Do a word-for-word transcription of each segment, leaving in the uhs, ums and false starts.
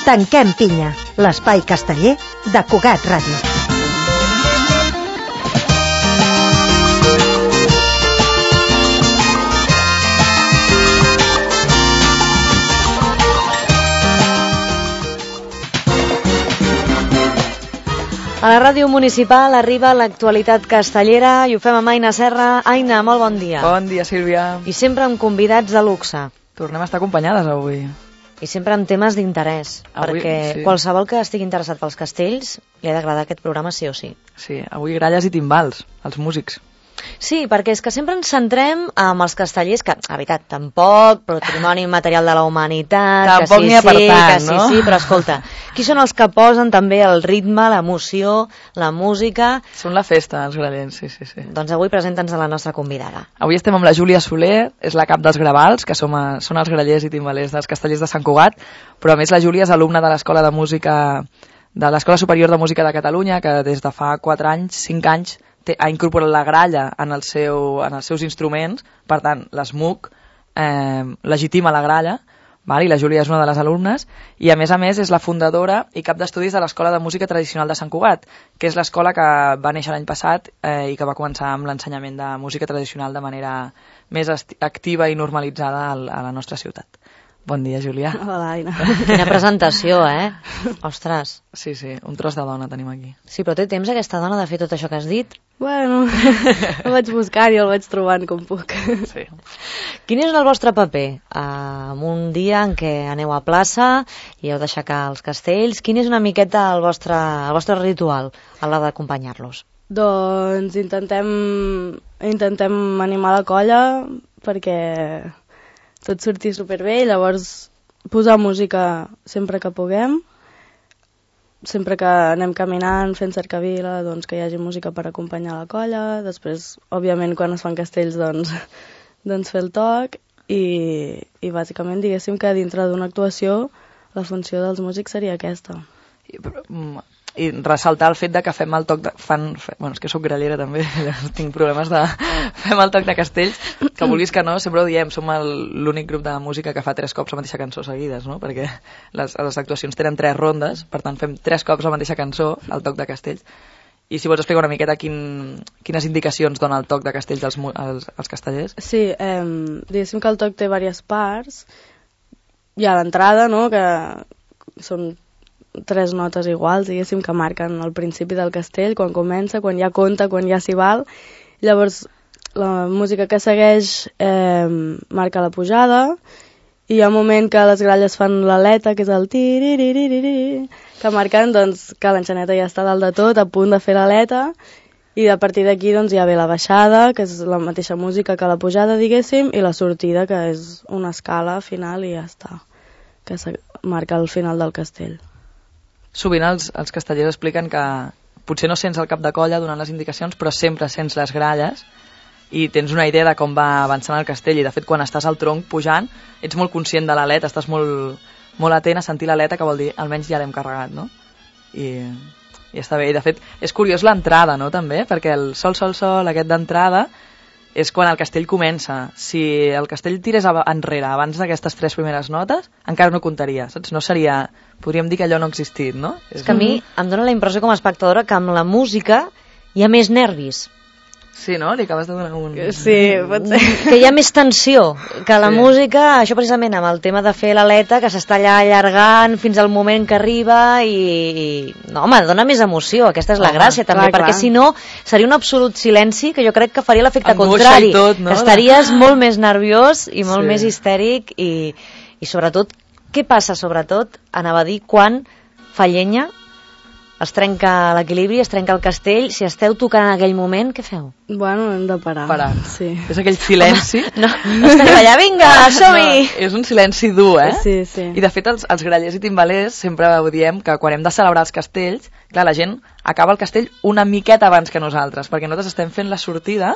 Tanquem pinya, l'espai casteller de Cugat Ràdio. A la ràdio municipal arriba l'actualitat castellera i ho fem amb Aina Serra. Aina, molt bon dia. Bon dia, Sílvia. I sempre amb convidats de luxe. Tornem a estar acompanyades avui. I sempre amb temes d'interès, Avui, perquè sí. qualsevol que estigui interessat pels castells li ha d'agradar aquest programa sí o sí. Sí, avui gralles i timbals, els músics. Sí, perquè és que sempre ens centrem amb els castellers, que, a veritat, tampoc, patrimoni material de la humanitat, Tampoc que sí, n'hi ha per sí, tant, que sí, no? sí, però escolta, qui són els que posen també el ritme, l'emoció, la música? Són la festa, els grallers, sí, sí, sí. Doncs avui presenta'ns a la nostra convidada. Avui estem amb la Júlia Soler, és la cap dels Gravals, que som a, són els grallers i timbalers dels castellers de Sant Cugat, però a més la Júlia és alumna de l'Escola de Música, de l'Escola Superior de Música de Catalunya, que des de fa quatre anys, cinc anys, té, ha incorporat la gralla en, el seu, en els seus instruments, per tant, l'ESMUC eh, legitima la gralla, val? I la Júlia és una de les alumnes, i a més a més és la fundadora i cap d'estudis de l'Escola de Música Tradicional de Sant Cugat, que és l'escola que va néixer l'any passat eh, i que va començar amb l'ensenyament de música tradicional de manera més activa i normalitzada a la nostra ciutat. Bon dia, Júlia. Hola, Aina. Quina presentació, eh? Ostres. Sí, sí, un tros de dona tenim aquí. Sí, però té temps aquesta dona de fer tot això que has dit? Bueno, el vaig buscant i el vaig trobant com puc. Sí. Quin és el vostre paper uh, en un dia en què aneu a plaça i heu d'aixecar els castells? Quin és una miqueta el vostre, el vostre ritual a l'hora d'acompanyar-los? Doncs intentem, intentem animar la colla perquè tot surti superbé i llavors posar música sempre que puguem, sempre que anem caminant fent cercavila, doncs que hi hagi música per acompanyar la colla, després òbviament quan es fan castells doncs, doncs fer el toc i, i bàsicament diguéssim que dintre d'una actuació la funció dels músics seria aquesta. I, però, i ressaltar el fet de que fem el toc de... Fan, fe, bueno, és que sóc grallera també, tinc problemes de... Fem el toc de castells, que vulguis que no, sempre ho diem, som l'únic grup de música que fa tres cops la mateixa cançó seguides, no? Perquè les, les actuacions tenen tres rondes, per tant fem tres cops la mateixa cançó, el toc de castells. I si vols explicar una miqueta quin, quines indicacions dona el toc de castells als, als, als castellers? Sí, eh, diguéssim que el toc té diverses parts. Hi ha l'entrada, no?, que són tres notes iguals, diguéssim, que marquen el principi del castell, quan comença, quan ja compta, quan ja s'hi val. Llavors, la música que segueix eh, marca la pujada, i hi ha un moment que les gralles fan l'aleta, que és el tiriririri, que marquen doncs, que l'enxaneta ja està dalt de tot, a punt de fer l'aleta, i a partir d'aquí doncs, ja ve la baixada, que és la mateixa música que la pujada, diguéssim, i la sortida, que és una escala final i ja està, que marca el final del castell. Sovint els, els castellers expliquen que potser no sents el cap de colla donant les indicacions, però sempre sents les gralles i tens una idea de com va avançant el castell, i de fet quan estàs al tronc pujant ets molt conscient de l'aleta, estàs molt, molt atent a sentir l'aleta, que vol dir almenys ja l'hem carregat, no? I, i està bé, i de fet és curiós l'entrada, no?, també, perquè el sol, sol, sol, aquest d'entrada és quan el castell comença. Si el castell tirés enrere abans d'aquestes tres primeres notes, encara no comptaria, saps? No seria... Podríem dir que allò no ha existit, no? És que a mi em dóna la impressió com a espectadora que amb la música hi ha més nervis. Sí, no? Li acabes de donar un... Sí, pot ser. Que hi ha més tensió, que la Sí. música, això precisament amb el tema de fer l'aleta, que s'està allà allargant fins al moment que arriba i... i... No, home, dona més emoció, aquesta és la Home, gràcia també, clar, perquè clar. si no seria un absolut silenci que jo crec que faria l'efecte Angoixa contrari. i tot, no? Estaries molt més nerviós i molt Sí. més histèric i, i sobretot, què passa sobretot, anava a dir, quan fa llenya, es trenca l'equilibri, es trenca el castell, si esteu tocant en aquell moment, què feu? Bueno, hem de parar. Parar. Sí. És aquell silenci... No, no estem allà, vinga, som-hi! No, és un silenci dur, eh? Sí, sí. I de fet els, els grallers i timbalers sempre ho diem que quan hem de celebrar els castells, clar, la gent acaba el castell una miqueta abans que nosaltres, perquè nosaltres estem fent la sortida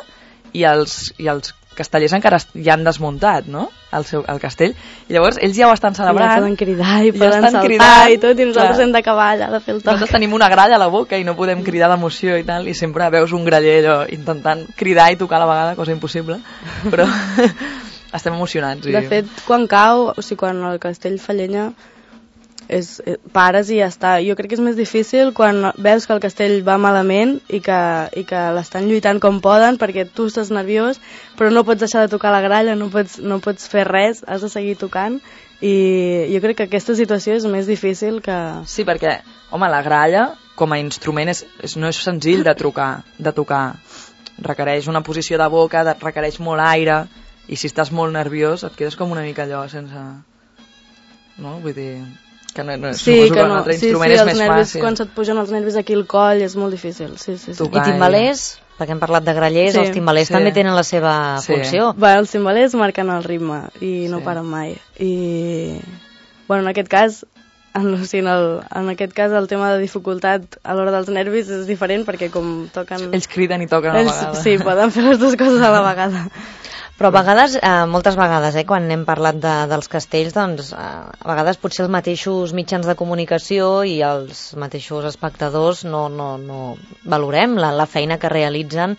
i els, i els castellers encara ja han desmuntat, no?, el, seu, el castell, i llavors ells ja ho estan celebrant. Ja poden cridar i ja poden estan saltar cridant, i tot, i nosaltres clar. hem d'acabar allà de fer el toc. Nosaltres tenim una gralla a la boca i no podem cridar d'emoció i tal, i sempre veus un graller allò intentant cridar i tocar a la vegada, cosa impossible, però estem emocionats. I... De fet, quan cau, o sigui, quan el castell fa llenya, és, eh, pares i ja està. Jo crec que és més difícil quan veus que el castell va malament i que, i que l'estan lluitant com poden perquè tu estàs nerviós, però no pots deixar de tocar la gralla, no pots, no pots fer res, has de seguir tocant, i jo crec que aquesta situació és més difícil que... Sí, perquè, home, la gralla com a instrument és, és, no és senzill de trucar, de tocar. Requereix una posició de boca, de, requereix molt aire, i si estàs molt nerviós et quedes com una mica allò sense... No? Vull dir... Que no, no, sí, que, que no. Un altre instrument sí, sí, és més nervis, fàcil. Quan se't pugen els nervis aquí al coll és molt difícil. Sí, sí, sí. I timbalers, perquè hem parlat de grallers, sí, els timbalers sí. també tenen la seva sí. funció. Bé, els timbalers marquen el ritme i no sí. paren mai. I, bueno, en aquest cas, en, o sigui, en, el, en aquest cas el tema de dificultat a l'hora dels nervis és diferent perquè com toquen... Ells criden i toquen a la vegada. Sí, poden fer les dues coses a la vegada. Però a vegades, eh, moltes vegades, eh, quan hem parlat de, dels castells, doncs, eh, a vegades potser els mateixos mitjans de comunicació i els mateixos espectadors no, no, no valorem la, la feina que realitzen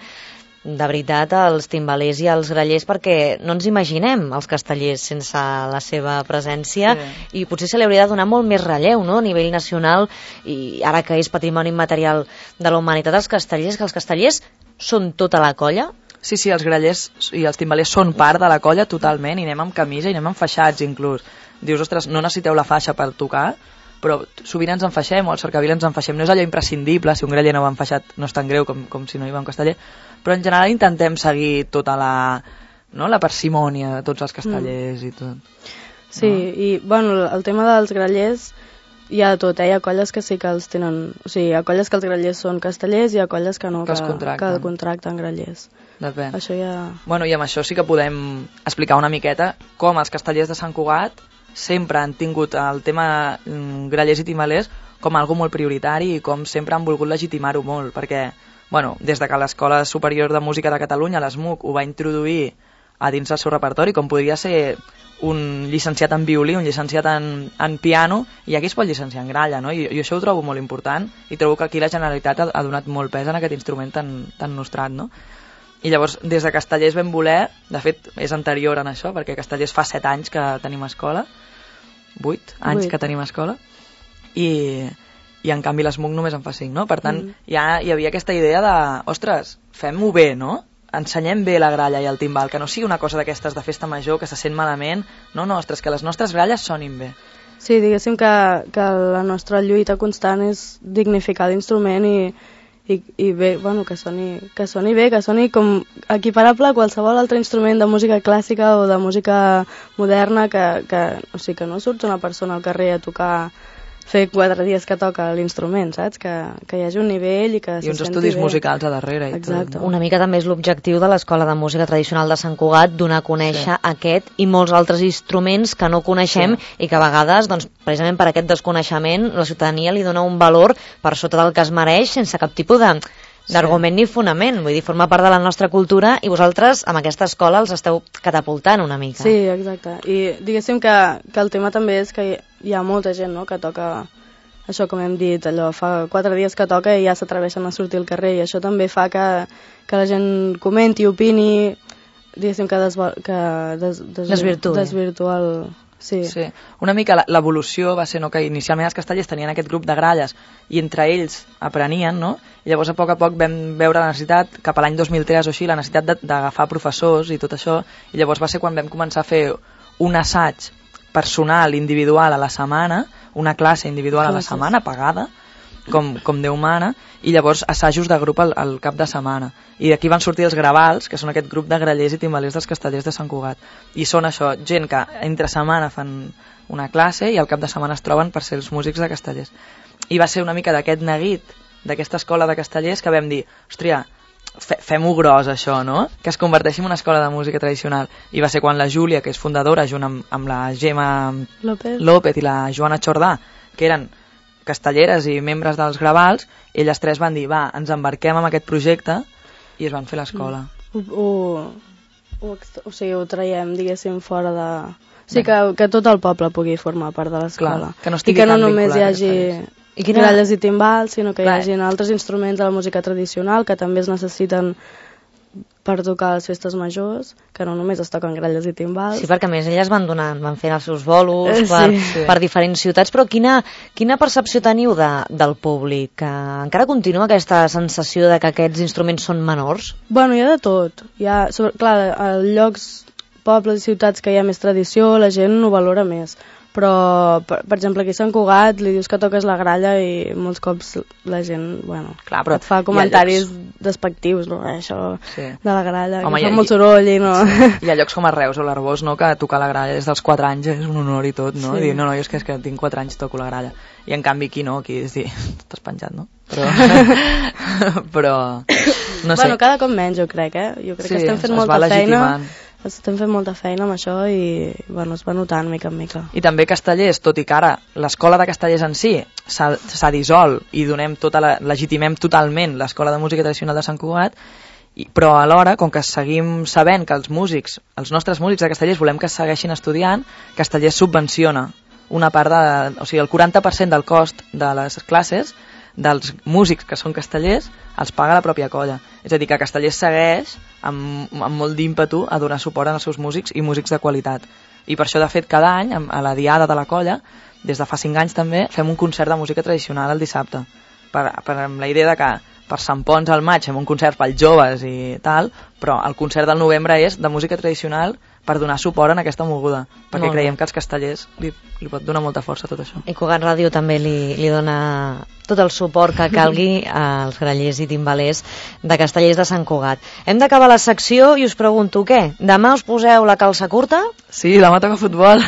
de veritat els timbalers i els grallers, perquè no ens imaginem els castellers sense la seva presència sí. i potser se li hauria de donar molt més relleu, no?, a nivell nacional, i ara que és patrimoni immaterial de la humanitat, els castellers, que els castellers són tota la colla. Sí, sí, els grallers i els timbalers són part de la colla totalment, i anem amb camisa i anem amb faixats inclús. Dius, ostres, no necessiteu la faixa per tocar, però sovint ens enfaixem, o al cercavil ens enfaixem. No és allò imprescindible, si un graller no va enfaixat no és tan greu com, com si no hi va un casteller, però en general intentem seguir tota la, no, la parsimònia de tots els castellers mm. i tot. Sí, no? I bueno, el tema dels grallers hi ha de tot, eh? Hi ha colles que sí que els tenen... O sigui, hi ha colles que els grallers són castellers i hi ha colles que no, que, que, contracten. que contracten grallers. Depèn. Això ja... Bueno, i amb això sí que podem explicar una miqueta com els castellers de Sant Cugat sempre han tingut el tema grallers i timbalers com algo molt prioritari i com sempre han volgut legitimar-ho molt, perquè, bueno, des de que l'Escola Superior de Música de Catalunya, l'E S M U C, ho va introduir a dins del seu repertori, com podria ser un llicenciat en violí, un llicenciat en, en piano, i aquí es pot llicenciar en gralla, no? I, i això ho trobo molt important, i trobo que aquí la Generalitat ha, ha donat molt pes en aquest instrument tan, tan nostrat, no? I llavors, des de Castellers vam voler, de fet, és anterior en això, perquè Castellers fa set anys que tenim escola, vuit anys Vuit. que tenim escola, i, i en canvi l'E S M U C només en fa cinc, no? Per tant, mm. ja hi havia aquesta idea de, ostres, fem-ho bé, no? Ensenyem bé la gralla i el timbal, que no sigui una cosa d'aquestes de festa major, que se sent malament, no, no, ostres, que les nostres gralles sonin bé. Sí, diguéssim que, que la nostra lluita constant és dignificar l'instrument i I, i bé, bueno, que soni, que soni bé, que soni com equiparable a qualsevol altre instrument de música clàssica o de música moderna, que, que, o sigui, que no surt una persona al carrer a tocar, fer quatre dies que toca l'instrument, saps? Que, que hi hagi un nivell i que I uns estudis bé. musicals a darrere. Exacte. I tot, no? Una mica també és l'objectiu de l'Escola de Música Tradicional de Sant Cugat, donar a conèixer sí. aquest i molts altres instruments que no coneixem sí. i que a vegades, doncs, precisament per aquest desconeixement, la ciutadania li dona un valor per sota del que es mereix sense cap tipus de d'argument sí. ni fonament, vull dir, forma part de la nostra cultura i vosaltres amb aquesta escola els esteu catapultant una mica. Sí, exacte, i diguéssim que, que el tema també és que hi ha molta gent, no?, que toca, això com hem dit, allò, fa quatre dies que toca i ja s'atreveixen a sortir al carrer, i això també fa que, que la gent comenti, opini, diguéssim que, desva, que des, des, desvirtua. desvirtua el... Sí. sí. Una mica l'evolució va ser, no?, que inicialment els castellers tenien aquest grup de gralles i entre ells aprenien, no? I llavors a poc a poc vam veure la necessitat, cap a l'any dos mil tres o així, la necessitat d'agafar professors i tot això, i llavors va ser quan vam començar a fer un assaig personal, individual a la setmana, una classe individual a la setmana, pagada, com, com Déu mana, i llavors assajos de grup al, al cap de setmana. I d'aquí van sortir els gravals, que són aquest grup de grallers i timbalers dels castellers de Sant Cugat. I són això, gent que entre setmana fan una classe i al cap de setmana es troben per ser els músics de castellers. I va ser una mica d'aquest neguit, d'aquesta escola de castellers, que vam dir, hòstia, fe, fem-ho gros això, no? Que es converteixi en una escola de música tradicional. I va ser quan la Júlia, que és fundadora, junt amb, amb la Gemma López. López i la Joana Chordà, que eren castelleres i membres dels gravals, elles tres van dir, va, ens embarquem en aquest projecte, i es van fer l'escola. Ho, ho, ho, o sigui, ho traiem, diguéssim, fora de... O sigui, que, que tot el poble pugui formar part de l'escola. Que no I que no només hi hagi I quina... gralles i timbals, sinó que Clar. hi hagi altres instruments de la música tradicional que també es necessiten per tocar les festes majors, que no només es toquen gralles i timbals. Sí, perquè a més elles van donant, van fent els seus bolos Eh, per, sí. per diferents ciutats, però quina, quina percepció teniu de, del públic? Que encara continua aquesta sensació de que aquests instruments són menors? Bueno, hi ha de tot. Hi ha, sobre, clar, a llocs, pobles i ciutats que hi ha més tradició, la gent ho valora més. Però, per, per exemple, aquí a Sant Cugat li dius que toques la gralla i molts cops la gent, bueno, Clar, però et fa comentaris despectius, no? Això Sí. de la gralla, Home, que hi ha- fa molt soroll i no... Hi ha llocs com a Reus o l'Arbós, no?, que tocar la gralla des dels quatre anys és un honor i tot, no? Sí. I dir, no, no, jo és que, és que tinc quatre anys toco la gralla. I en canvi aquí no, aquí és dir, t'has penjat, no? Però... però... No sé. Bueno, cada cop menys, jo crec, eh? Jo crec Sí, que estem fent es va molta feina. legitimant. Estem fent molta feina amb això i, bueno, es va notant mica en mica. I també Castellers, tot i que ara l'escola de Castellers en si s'ha s'ha dissolt i donem tota la, legitimem totalment l'escola de música tradicional de Sant Cugat, i, però alhora, com que seguim sabent que els músics, els nostres músics de Castellers volem que segueixin estudiant, Castellers subvenciona una part de... O sigui, el quaranta per cent del cost de les classes dels músics que són castellers els paga la pròpia colla. És a dir, que Castellers segueix amb, amb molt d'ímpetu a donar suport als seus músics i músics de qualitat. I per això, de fet, cada any, a la diada de la colla, des de fa cinc anys també, fem un concert de música tradicional el dissabte. Per, per, amb la idea de que per Sant Pons al maig fem un concert pels joves i tal, però el concert del novembre és de música tradicional per donar suport en aquesta moguda, perquè Molt bé. creiem que als castellers li, li pot donar molta força tot això. I Cugat Ràdio també li, li dona tot el suport que calgui als grallers i timbalers de Castellers de Sant Cugat. Hem d'acabar la secció i us pregunto què? Demà us poseu la calça curta? Sí, demà toca futbol.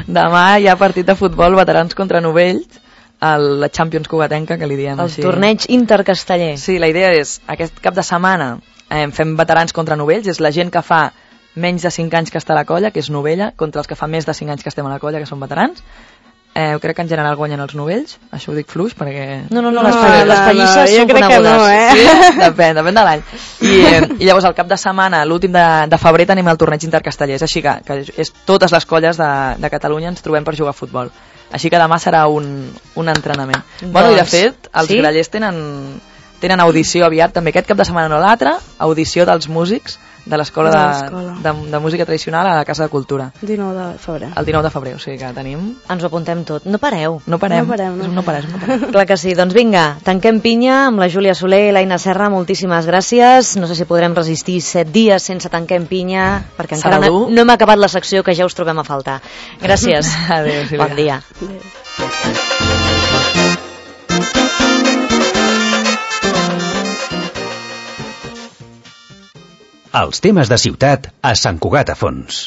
Demà hi ha partit de futbol, veterans contra novells, el, la Champions cugatenca, que li diem El així. torneig intercasteller. Sí, la idea és, aquest cap de setmana eh, fem veterans contra novells, és la gent que fa menys de cinc anys que està a la colla, que és novella, contra els que fa més de cinc anys que estem a la colla, que són veterans. Eh, crec que en general guanyen els novells, això ho dic fluix perquè... No, no, no, No, les, pa- no, les no, pallisses jo són crec que conegudes. no, eh? Sí? Depèn, depèn de l'any. I, eh, I llavors el cap de setmana, l'últim de, de febrer, tenim el torneig intercastellers, així que, que és, totes les colles de, de Catalunya ens trobem per jugar a futbol. Així que demà serà un, un entrenament. Doncs, Bueno, i de fet, els sí? grallers tenen, tenen audició aviat, també aquest cap de setmana no l'altre, audició dels músics de l'escola De de, l'escola. de, de música tradicional a la Casa de Cultura, dinou de febrer. el dinou de febrer, o sigui que tenim... Ens ho apuntem tot. No pareu. No parem, No parem, no. És un no parem, no parem. Clar que sí. Doncs vinga, tanquem pinya amb la Júlia Soler i l'Aina Serra. Moltíssimes gràcies. No sé si podrem resistir set dies sense tanquem pinya, perquè encara Serà no, dur. no hem acabat la secció, que ja us trobem a faltar. Gràcies. Adéu, Sílvia. Bon dia. Els temes de ciutat a Sant Cugat a Fons.